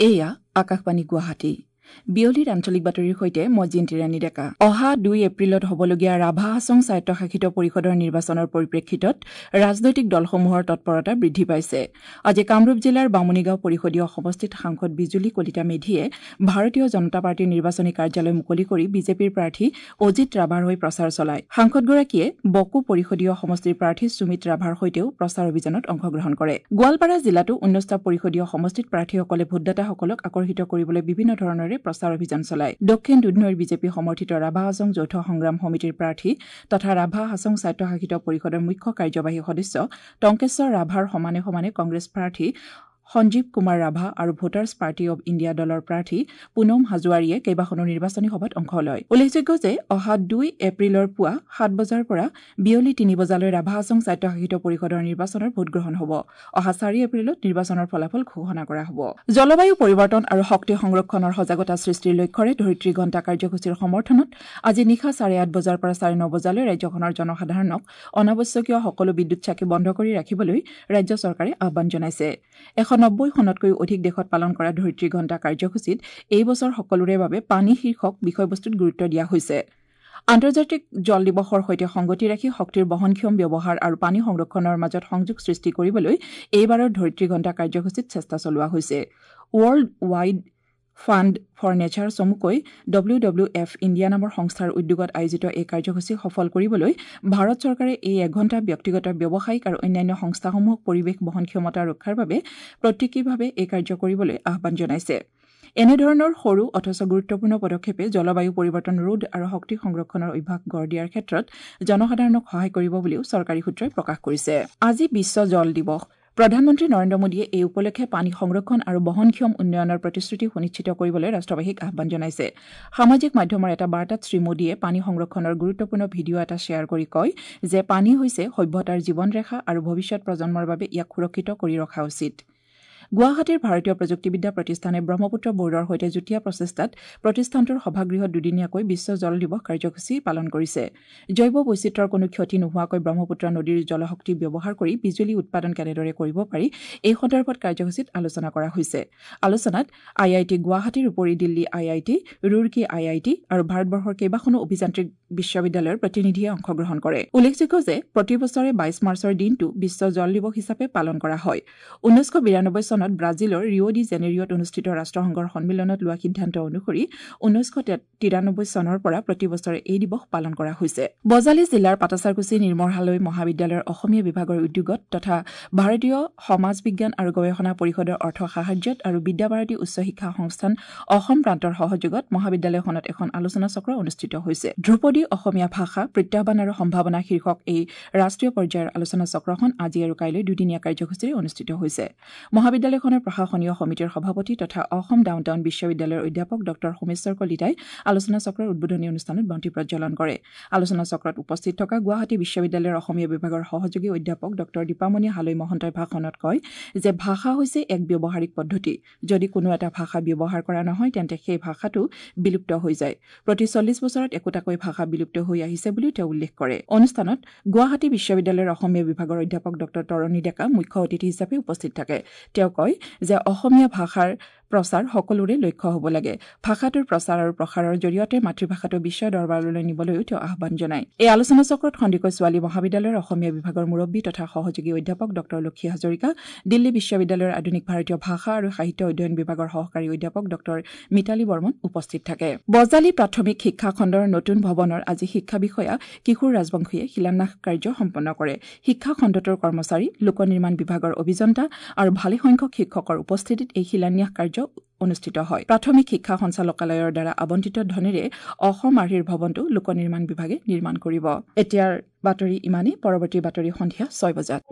এয়া আকাশবাণী গুৱাহাটী। বিয়লিৰ আঞ্চলিক বাতৰিৰ সৈতে মই জিন্তি ৰাণী ডেকা। অহা 2 এপ্ৰিলত হ'বলগীয়া ৰাভা হাছং স্বায়ত্তশাসিত পৰিষদৰ নিৰ্বাচনৰ পৰিপ্ৰেক্ষিতত ৰাজনৈতিক দলসমূহৰ তৎপৰতা বৃদ্ধি পাইছে। আজি কামৰূপ জিলাৰ বামুণীগাঁও পৰিষদীয় সমষ্টিত সাংসদ বিজুলী কলিতা মেধিয়ে ভাৰতীয় জনতা পাৰ্টীৰ নিৰ্বাচনী কাৰ্যালয় মুকলি কৰি বিজেপিৰ প্ৰাৰ্থী অজিত ৰাভাৰ হৈ প্ৰচাৰ চলায়। সাংসদগৰাকীয়ে বকো পৰিষদীয় সমষ্টিৰ প্ৰাৰ্থী সুমিত ৰাভাৰ সৈতেও প্ৰচাৰ অভিযানত অংশগ্ৰহণ কৰে। গোৱালপাৰা জিলাতো 19টা পৰিষদীয় সমষ্টিত প্ৰাৰ্থীসকলে ভোটদাতাসকলক আকৰ্ষিত কৰিবলৈ বিভিন্ন ধৰণেৰে প্ৰচাৰ অভিযান চলায়। দক্ষিণ দুধনৈৰ বিজেপি সমৰ্থিত ৰাভা হাছং যৌথ সংগ্ৰাম সমিতিৰ প্ৰাৰ্থী তথা ৰাভা হাছং স্বায়ত্তশাসিত পৰিষদৰ মুখ্য কাৰ্যবাহী সদস্য টংকেশ্বৰ ৰাভাৰ সমানে সমানে কংগ্ৰেছ প্ৰাৰ্থী সঞ্জীৱ কুমাৰ ৰাভা আৰু ভোটাৰ্ছ পাৰ্টি অৱ ইণ্ডিয়া দলৰ প্ৰাৰ্থী পুনম হাজোৱাৰীয়ে কেইবাখনো নিৰ্বাচনী সভাত অংশ লয়। উল্লেখযোগ্য যে অহা 2 এপ্ৰিলৰ পুৱা 7 বজাৰ পৰা বিয়লি 3 বজালৈ ৰাভা হাছং স্বায়ত্তশাসিত পৰিষদৰ নিৰ্বাচনৰ ভোটগ্ৰহণ হ'ব। অহা 4 এপ্ৰিলত নিৰ্বাচনৰ ফলাফল ঘোষণা কৰা হ'ব। জলবায়ু পৰিৱৰ্তন আৰু শক্তি সংৰক্ষণৰ সজাগতা সৃষ্টিৰ লক্ষ্যৰে ধৰিত্ৰী ঘণ্টা কাৰ্যসূচীৰ সমৰ্থনত আজি নিশা 8:30 বজাৰ পৰা 9:30 বজালৈ ৰাজ্যখনৰ জনসাধাৰণক অনাৱশ্যকীয় সকলো বিদ্যুৎ চাকি বন্ধ কৰি ৰাখিবলৈ ৰাজ্য চৰকাৰে আহ্বান জনাইছে। 190খনতকৈও অধিক দেশত পালন কৰা ধৰিত্ৰী ঘণ্টা কাৰ্যসূচীত এই বছৰ সকলোৰে বাবে পানী শীৰ্ষক বিষয়বস্তুত গুৰুত্ব দিয়া হৈছে। আন্তৰ্জাতিক জল দিৱসৰ সৈতে সংগতি ৰাখি শক্তিৰ বহনক্ষম ব্যৱহাৰ আৰু পানী সংৰক্ষণৰ মাজত সংযোগ সৃষ্টি কৰিবলৈ এইবাৰৰ ধৰিত্ৰী ঘণ্টা কাৰ্যসূচীত চেষ্টা চলোৱা হৈছে। World Wide Fund for Nature চমুকৈ WWF India নামৰ সংস্থাৰ উদ্যোগত আয়োজিত এই কাৰ্যসূচী সফল কৰিবলৈ ভাৰত চৰকাৰে এই এঘণ্টা ব্যক্তিগত, ব্যৱসায়িক আৰু অন্যান্য সংস্থাসমূহক পৰিৱেশ বহনক্ষমতা ৰক্ষাৰ বাবে প্ৰতীকীভাৱে এই কাৰ্য কৰিবলৈ আহ্বান জনাইছে। এনেধৰণৰ সৰু অথচ গুৰুত্বপূৰ্ণ পদক্ষেপে জলবায়ু পৰিৱৰ্তন ৰোধ আৰু শক্তি সংৰক্ষণৰ অভ্যাস গঢ় দিয়াৰ ক্ষেত্ৰত জনসাধাৰণক সহায় কৰিব বুলিও চৰকাৰী সূত্ৰই প্ৰকাশ কৰিছে। আজি বিশ্ব জল দিৱস। প্ৰধানমন্ত্ৰী নৰেন্দ্ৰ মোদীয়ে এই উপলক্ষে পানী সংৰক্ষণ আৰু বহনক্ষম উন্নয়নৰ প্ৰতিশ্ৰুতি সুনিশ্চিত কৰিবলৈ ৰাষ্ট্ৰবাসীক আহ্বান জনাইছে। সামাজিক মাধ্যমৰ এটা বাৰ্তাত শ্ৰী মোদীয়ে পানী সংৰক্ষণৰ গুৰুত্বপূৰ্ণ ভিডিঅ' এটা শ্বেয়াৰ কৰি কয় যে পানী হৈছে সভ্যতাৰ জীৱনৰেখা আৰু ভৱিষ্যত প্ৰজন্মৰ বাবে ইয়াক সুৰক্ষিত কৰি ৰখা উচিত। গুৱাহাটীৰ ভাৰতীয় প্ৰযুক্তিবিদ্যা প্ৰতিষ্ঠানে ব্ৰহ্মপুত্ৰ বৰ্ডৰ সৈতে যুটীয়া প্ৰচেষ্টাত প্ৰতিষ্ঠানটোৰ সভাগৃহত দুদিনীয়াকৈ বিশ্ব জল দিৱস কাৰ্যসূচী পালন কৰিছে। জৈৱ বৈচিত্ৰ্যৰ কোনো ক্ষতি নোহোৱাকৈ ব্ৰহ্মপুত্ৰ নদীৰ জলশক্তি ব্যৱহাৰ কৰি বিজুলী উৎপাদন কেনেদৰে কৰিব পাৰি এই সন্দৰ্ভত কাৰ্যসূচীত আলোচনা কৰা হৈছে। আলোচনাত IIT গুৱাহাটীৰ উপৰি Delhi IIT, Roorkee IIT আৰু ভাৰতবৰ্ষৰ কেইবাখনো অভিযান্ত্ৰিক বিশ্ববিদ্যালয়ৰ প্ৰতিনিধিয়ে অংশগ্ৰহণ কৰে। উল্লেখযোগ্য যে প্ৰতি বছৰে 22 মাৰ্চৰ দিনটো বিশ্ব জল দিৱস হিচাপে পালন কৰা হয়। 1992 চনত ব্ৰাজিলৰ ৰিঅ' ডি জেনেৰিঅ'ত অনুষ্ঠিত ৰাষ্ট্ৰসংঘৰ সন্মিলনত লোৱা সিদ্ধান্ত অনুসৰি 1993 চনৰ পৰা প্ৰতি বছৰে এই দিৱস পালন কৰা হৈছে। বজালী জিলাৰ পাটাছাৰকুছি নিৰ্মলহালৈ মহাবিদ্যালয়ৰ অসমীয়া বিভাগৰ উদ্যোগত তথা ভাৰতীয় সমাজ বিজ্ঞান আৰু গৱেষণা পৰিষদৰ অৰ্থ সাহায্যত আৰু বিদ্যাভাৰতী উচ্চ শিক্ষা সংস্থান অসম প্ৰান্তৰ সহযোগত মহাবিদ্যালয়খনত এখন আলোচনা চক্ৰ অনুষ্ঠিত হৈছে। ধ্ৰুপদী অসমীয়া ভাষা প্ৰত্যাহ্বান আৰু সম্ভাৱনা শীৰ্ষক এই ৰাষ্ট্ৰীয় পৰ্যায়ৰ আলোচনা চক্ৰখন আজি আৰু কাইলৈ দুদিনীয়া কাৰ্যসূচীৰে অনুষ্ঠিত হৈছে। মহাবিদ্যালয়খনৰ প্ৰশাসনীয় সমিতিৰ সভাপতি তথা অসম ডাউন টাউন বিশ্ববিদ্যালয়ৰ অধ্যাপক ডঃ সোমেশ্বৰ কলিতাই আলোচনা চক্ৰৰ উদ্বোধনী অনুষ্ঠানত বন্তি প্ৰজ্বলন কৰে। আলোচনা চক্ৰত উপস্থিত থকা গুৱাহাটী বিশ্ববিদ্যালয়ৰ অসমীয়া বিভাগৰ সহযোগী অধ্যাপক ডঃ দীপামণি হালৈ মহন্তই ভাষণত কয় যে ভাষা হৈছে এক ব্যৱহাৰিক পদ্ধতি। যদি কোনো এটা ভাষা ব্যৱহাৰ কৰা নহয় তেন্তে সেই ভাষাটো বিলুপ্ত হৈ যায়। প্ৰতি 40 বছৰত একোটাকৈ ভাষা বিলুপ্ত হৈ আহিছে বুলিও তেওঁ উল্লেখ কৰে। অনুষ্ঠানত গুৱাহাটী বিশ্ববিদ্যালয়ৰ অসমীয়া বিভাগৰ অধ্যাপক ডঃ তৰণী ডেকা মুখ্য অতিথি হিচাপে উপস্থিত থাকে। তেওঁ কয় যে অসমীয়া ভাষাৰ প্ৰচাৰ সকলোৰে লক্ষ্য হ'ব লাগে। ভাষাটোৰ প্ৰচাৰ আৰু প্ৰসাৰৰ জৰিয়তে মাতৃভাষাটো বিশ্ব দৰবাৰলৈ নিবলৈও তেওঁ আহ্বান জনায়। এই আলোচনা চক্ৰত সন্দিকৈ ছোৱালী মহাবিদ্যালয়ৰ অসমীয়া বিভাগৰ মুৰব্বী তথা সহযোগী অধ্যাপক ডঃ লক্ষী হাজৰিকা, দিল্লী বিশ্ববিদ্যালয়ৰ আধুনিক ভাৰতীয় ভাষা আৰু সাহিত্য অধ্যয়ন বিভাগৰ সহকাৰী অধ্যাপক ডঃ মিতালী বৰ্মন উপস্থিত থাকে। বজালী প্ৰাথমিক শিক্ষা খণ্ডৰ নতুন ভৱনৰ আজি শিক্ষা বিষয়া কিশোৰ ৰাজবংশীয়ে শিলান্যাস কাৰ্য সম্পন্ন কৰে। শিক্ষা খণ্ডটোৰ কৰ্মচাৰী, লোক নিৰ্মাণ বিভাগৰ অভিযন্তা আৰু ভালেসংখ্যক শিক্ষকৰ উপস্থিতিত এই শিলান্যাস কাৰ্য অনুষ্ঠিত হয়। প্ৰাথমিক শিক্ষা সঞ্চালকালয়ৰ দ্বাৰা আবণ্টিত ধনেৰে অসম আৰ্হিৰ ভৱনটো লোক নিৰ্মাণ বিভাগে নিৰ্মাণ কৰিব। এতিয়াৰ বাতৰি ইমানেই। পৰৱৰ্তী বাতৰি সন্ধিয়া 6 বজাত।